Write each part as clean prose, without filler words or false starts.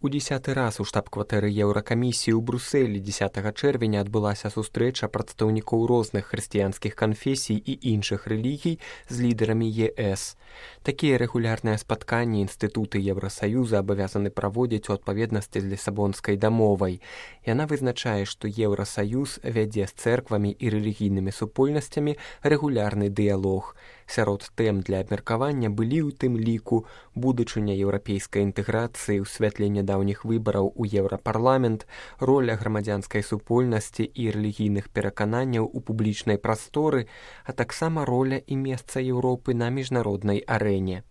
У 10-й раз у штаб-кватэры Еўракамісіі ў Брусэлі 10 чэрвеня адбылася сустрэча прадстаўнікоў розных хрысціянскіх канфесій і іншых рэлігій з лідарамі ЕС. Такія рэгулярныя спатканні інстытуты Еўрасаюза абавязаны праводзіць у адпаведнасці з Лісабонскай дамовай. Яна вызначае, што Еўрасаюз вядзе з цэрквамі і рэлігійнымі супольнасцямі рэгулярны дыялог. Сярод тэм для абмеркавання былі ў тым ліку будучыня еўрапейскай інтэграцыі ў святле нядаўніх выбараў у Еўрапарламент, роля грамадзянскай супольнасці і рэлігійных перакананняў у публічнай прасторы, а таксама роля і месца Еўропы на міжнароднай арэне.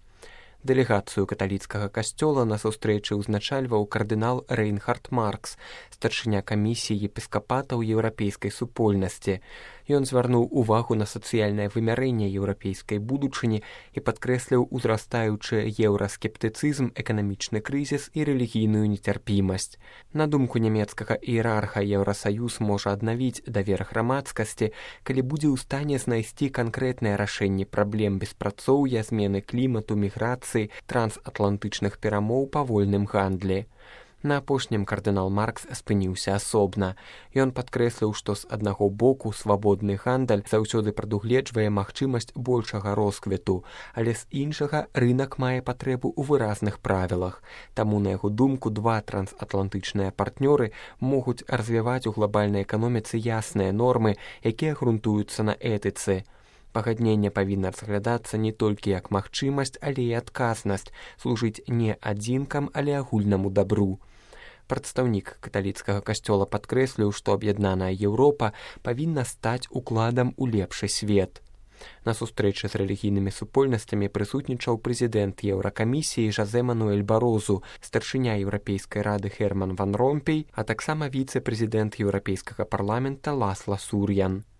Дэлегацыю каталіцкага касцёла на сустрэчы ўзначальваў кардынал Рейнхард Маркс, старшыня камісіі епіскапатаў еўрапейскай супольнасці. Ён звярнуў увагу на сацыяльнае вымярэнне еўрапейскай будучыні і падкрэсліў узрастаючы еўраскептыцызм, эканамічны крызіс і рэлігійную нецярпімасць. На думку нямецкага іерарха, Еўрасаюз можа аднавіць давер грамадскасці, калі будзе ў стане знайсці канкрэтныя рашэнні праблем беспрацоўя, змены клімату, міграцыі, трансатлантычных перамоў па вольным гандлі. На апошнім кардынал Маркс спыніўся асобна. Ён падкрэсліў, што з аднаго боку свабодны гандаль заўсёды прадугледжвае магчымасць большага росквіту, але з іншага рынак мае патрэбу ў выразных правілах. Таму, на яго думку, два трансатлантычныя партнёры могуць развіваць у глобальнай эканоміцы ясныя нормы, якія грунтуюцца на этыцы. Пагадненне павінна разглядацца не толькі як магчымасць, але і адказнасць, служыць не адзінкам, але агульнаму дабру. Прадстаўнік каталіцкага касцёла падкрэсліў, што аб'яднаная Еўропа павінна стаць укладам у лепшы свет. На сустрэчы з рэлігійнымі супольнасцямі прысутнічаў прэзідэнт Еўракамісіі Жозе Мануэль Барозу, старшыня Еўрапейскай рады Герман ван Ромпей, а таксама віцэ-прэзідэнт Еўрапейскага парламента Ласла Сурьян.